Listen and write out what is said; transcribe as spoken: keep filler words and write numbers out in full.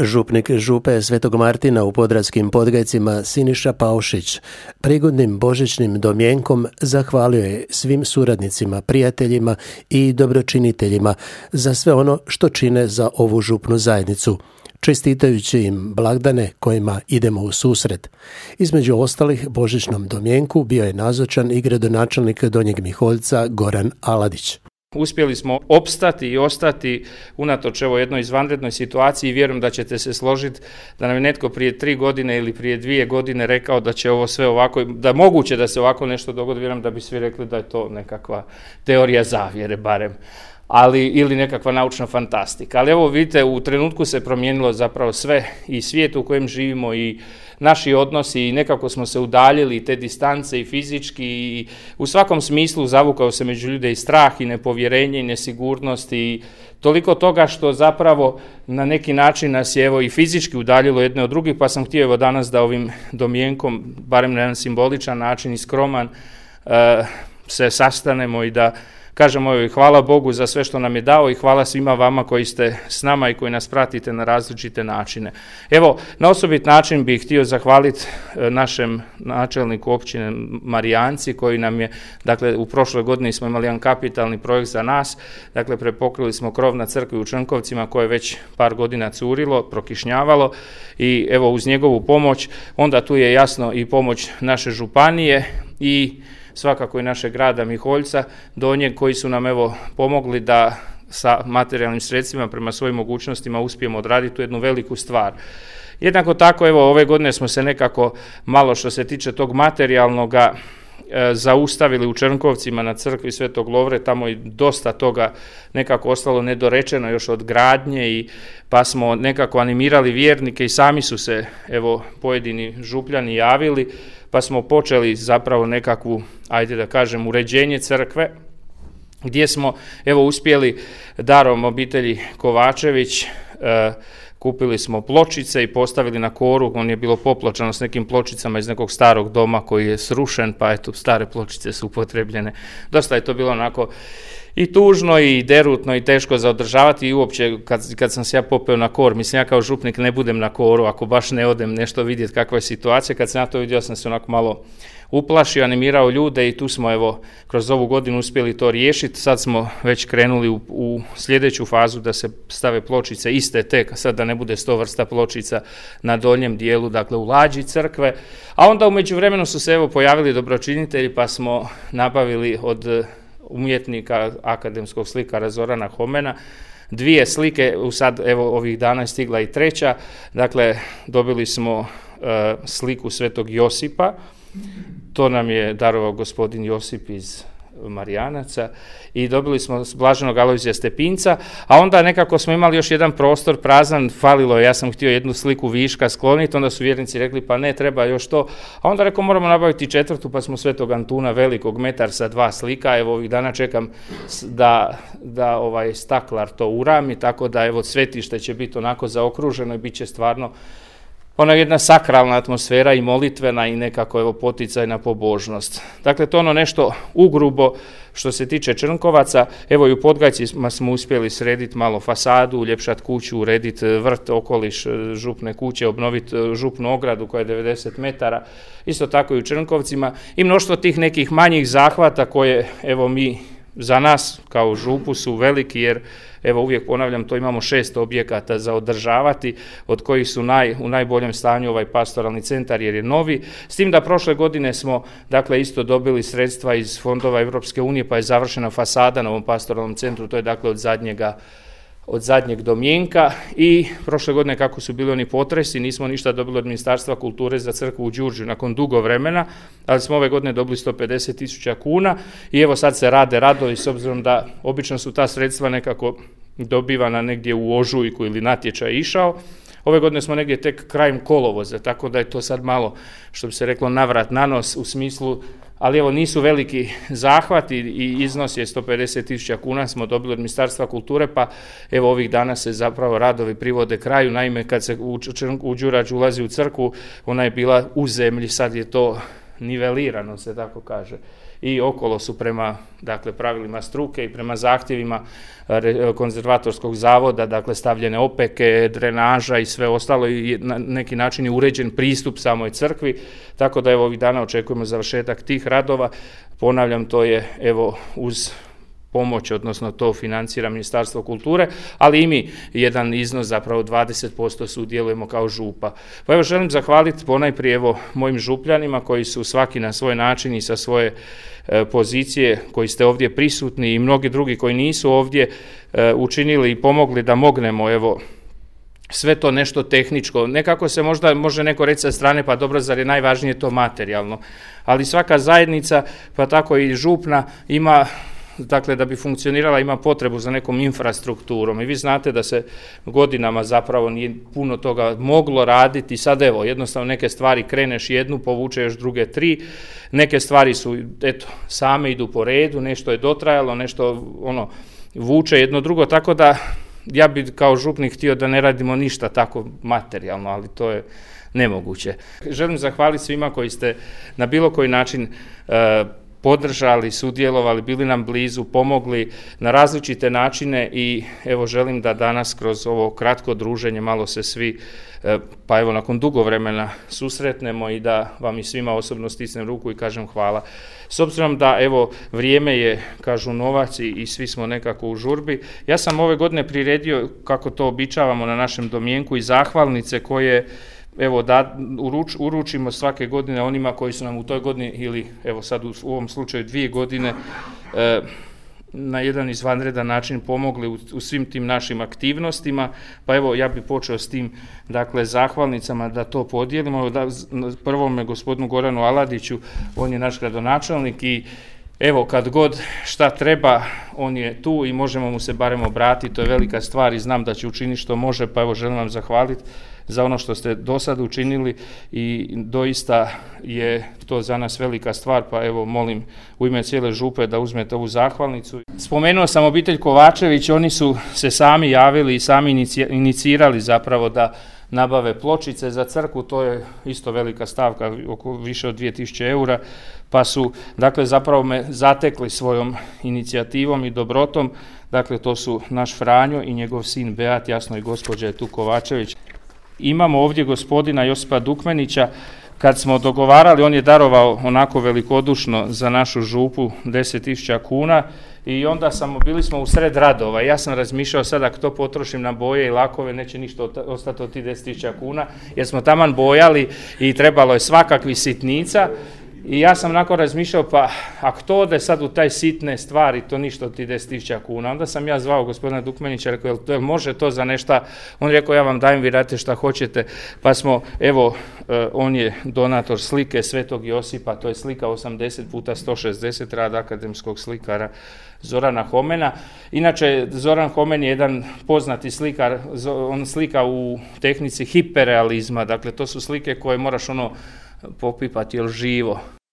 Župnik župe Svetog Martina u Podraskim Podgajcima Siniša Paušić prigodnim božićnim domjenkom zahvalio je svim suradnicima, prijateljima i dobročiniteljima za sve ono što čine za ovu župnu zajednicu, čestitajući im blagdane kojima idemo u susret. Između ostalih božićnom domjenku bio je nazočan i gradonačelnik Donjeg Miholjca Goran Aladić. Uspjeli smo opstati i ostati unatoč evo jednoj izvanrednoj situaciji i vjerujem da ćete se složiti da nam je netko prije tri godine ili prije dvije godine rekao da će ovo sve ovako, da moguće da se ovako nešto dogodi, vjerujem da bi svi rekli da je to nekakva teorija zavjere barem. Ali ili nekakva naučna fantastika. Ali evo vidite, u trenutku se promijenilo zapravo sve i svijet u kojem živimo i naši odnosi i nekako smo se udaljili i te distance i fizički i u svakom smislu zavukao se među ljude i strah i nepovjerenje i nesigurnost i toliko toga što zapravo na neki način nas je evo i fizički udaljilo jedne od drugih, pa sam htio evo danas da ovim domjenkom, barem na jedan simboličan način i skroman, uh, se sastanemo i da kažemo joj hvala Bogu za sve što nam je dao i hvala svima vama koji ste s nama i koji nas pratite na različite načine. Evo, na osobit način bih htio zahvaliti našem načelniku općine Marijanci koji nam je, dakle u prošloj godini smo imali jedan kapitalni projekt za nas, dakle prepokrili smo krov na crkvi u Črnkovcima koje je već par godina curilo, prokišnjavalo i evo uz njegovu pomoć, onda tu je jasno i pomoć naše županije i svakako i našeg grada Miholjca, Donjeg, koji su nam evo pomogli da sa materijalnim sredstvima prema svojim mogućnostima uspijemo odraditi tu jednu veliku stvar. Jednako tako evo ove godine smo se nekako malo što se tiče tog materijalnoga e, zaustavili u Črnkovcima na crkvi Svetog Lovre, tamo je dosta toga nekako ostalo nedorečeno još od gradnje i pa smo nekako animirali vjernike i sami su se evo pojedini župljani javili, pa smo počeli zapravo nekakvu, ajde da kažem, uređenje crkve, gdje smo evo uspjeli darom obitelji Kovačević, e, kupili smo pločice i postavili na koru, on je bilo popločano s nekim pločicama iz nekog starog doma koji je srušen, pa eto stare pločice su upotrebljene. Dosta je to bilo onako i tužno i derutno i teško za održavati i uopće kad, kad sam se ja popeo na kor, mislim ja kao župnik ne budem na koru ako baš ne odem nešto vidjeti kakva je situacija, kad sam ja to vidio sam se onako malo uplašio, animirao ljude i tu smo evo kroz ovu godinu uspjeli to riješiti, sad smo već krenuli u, u sljedeću fazu da se stave pločice iste te, sad da ne bude sto vrsta pločica na donjem dijelu, dakle u lađi crkve, a onda u međuvremenu su se evo pojavili dobročinitelji pa smo nabavili od umjetnika akademskog slikara Zorana Homena dvije slike, sad evo ovih dana je stigla i treća, dakle dobili smo uh, sliku Svetog Josipa, to nam je darovao gospodin Josip iz Marijanaca i dobili smo blaženog Alojzija Stepinca, a onda nekako smo imali još jedan prostor prazan, falilo je, ja sam htio jednu sliku viška skloniti, onda su vjernici rekli pa ne, treba još to, a onda rekao moramo nabaviti četvrtu, pa smo Svetog Antuna velikog metar sa dva slika, evo ovih dana čekam da, da ovaj staklar to urami, tako da evo svetište će biti onako zaokruženo i bit će stvarno ona jedna sakralna atmosfera i molitvena i nekako evo poticajna pobožnost. Dakle, to ono nešto ugrubo što se tiče Črnkovaca, evo i u Podgajcima smo uspjeli srediti malo fasadu, uljepšati kuću, urediti vrt, okoliš župne kuće, obnoviti župnu ogradu koja je devedeset metara, isto tako i u Črnkovcima i mnoštvo tih nekih manjih zahvata koje evo mi za nas kao župu su veliki jer evo uvijek ponavljam, to imamo šest objekata za održavati, od kojih su naj, u najboljem stanju ovaj pastoralni centar jer je novi, s tim da prošle godine smo dakle isto dobili sredstva iz fondova Europske unije pa je završena fasada na ovom pastoralnom centru, to je dakle od zadnjega od zadnjeg domjenka i prošle godine kako su bili oni potresi, nismo ništa dobili od Ministarstva kulture za crkvu u Đurđu nakon dugo vremena, ali smo ove godine dobili sto pedeset tisuća kuna i evo sad se rade radovi s obzirom da obično su ta sredstva nekako dobivana negdje u ožujku ili natječaj išao. Ove godine smo negdje tek krajem kolovoza, tako da je to sad malo, što bi se reklo, navrat na nos u smislu, ali evo nisu veliki zahvati i iznos je sto pedeset tisuća kuna smo dobili od Ministarstva kulture, pa evo ovih dana se zapravo radovi privode kraju. Naime, kad se u, u Đurađ ulazi u crkvu, ona je bila u zemlji, sad je to nivelirano, se tako kaže. I okolo su prema, dakle, pravilima struke i prema zahtjevima konzervatorskog zavoda, dakle, stavljene opeke, drenaža i sve ostalo i na neki način je uređen pristup samoj crkvi, tako da evo ovih dana očekujemo završetak tih radova. Ponavljam, to je evo uz pomoć, odnosno to financira Ministarstvo kulture, ali i mi jedan iznos, zapravo dvadeset posto sudjelujemo kao župa. Pa evo želim zahvaliti ponajprije evo mojim župljanima koji su svaki na svoj način i sa svoje e, pozicije koji ste ovdje prisutni i mnogi drugi koji nisu ovdje e, učinili i pomogli da mognemo evo sve to nešto tehničko. Nekako se možda može neko reći sa strane, pa dobro, zar je najvažnije to materijalno, ali svaka zajednica, pa tako i župna, ima, dakle, da bi funkcionirala, ima potrebu za nekom infrastrukturom i vi znate da se godinama zapravo nije puno toga moglo raditi. Sad evo, jednostavno neke stvari kreneš jednu, povuče još druge tri, neke stvari su, eto, same idu po redu, nešto je dotrajalo, nešto ono vuče jedno drugo, tako da ja bi kao župnik htio da ne radimo ništa tako materijalno, ali to je nemoguće. Želim zahvaliti svima koji ste na bilo koji način e, podržali, sudjelovali, bili nam blizu, pomogli na različite načine i evo želim da danas kroz ovo kratko druženje malo se svi, pa evo nakon dugo vremena susretnemo i da vam i svima osobno stisnem ruku i kažem hvala. S obzirom da evo vrijeme je, kažu, novac i, i svi smo nekako u žurbi, ja sam ove godine priredio, kako to običavamo na našem domjenku, i zahvalnice koje evo da uruč, uručimo svake godine onima koji su nam u toj godini ili evo sad u, u ovom slučaju dvije godine e, na jedan izvanredan način pomogli u, u svim tim našim aktivnostima, pa evo ja bih počeo s tim, dakle, zahvalnicama da to podijelimo. Da, prvome gospodinu Goranu Aladiću, on je naš gradonačelnik i evo kad god šta treba, on je tu i možemo mu se barem obratiti, to je velika stvar i znam da će učiniti što može, pa evo želim vam zahvaliti za ono što ste do sada učinili i doista je to za nas velika stvar, pa evo molim u ime cijele župe da uzmete ovu zahvalnicu. Spomenuo sam obitelj Kovačević, oni su se sami javili i sami inicirali zapravo da nabave pločice za crkvu, to je isto velika stavka, oko više od dvije tisuće eura, pa su, dakle, zapravo me zatekli svojom inicijativom i dobrotom, dakle, to su naš Franjo i njegov sin Beat, jasno i gospođa je tu Kovačević. Imamo ovdje gospodina Josipa Dukmenića, kad smo dogovarali, on je darovao onako velikodušno za našu župu deset tisuća kuna i onda samo, bili smo u sred radova. Ja sam razmišljao sad ako to potrošim na boje i lakove, neće ništa ostati od tih deset tisuća kuna, jer smo taman bojali i trebalo je svakakvih sitnica. I ja sam onako razmišljao, pa ako to ode sad u taj sitne stvari, to ništa od ti deset tisuća kuna. Onda sam ja zvao gospodina Dukmenića, rekao, jel može to za nešto? On rekao, ja vam dajem, vi radite šta hoćete. Pa smo, evo, on je donator slike Svetog Josipa, to je slika osamdeset puta sto šezdeset, rad akademskog slikara Zorana Homena. Inače, Zoran Homen je jedan poznati slikar, on slika u tehnici hiperrealizma, dakle to su slike koje moraš ono popipati, jel živo.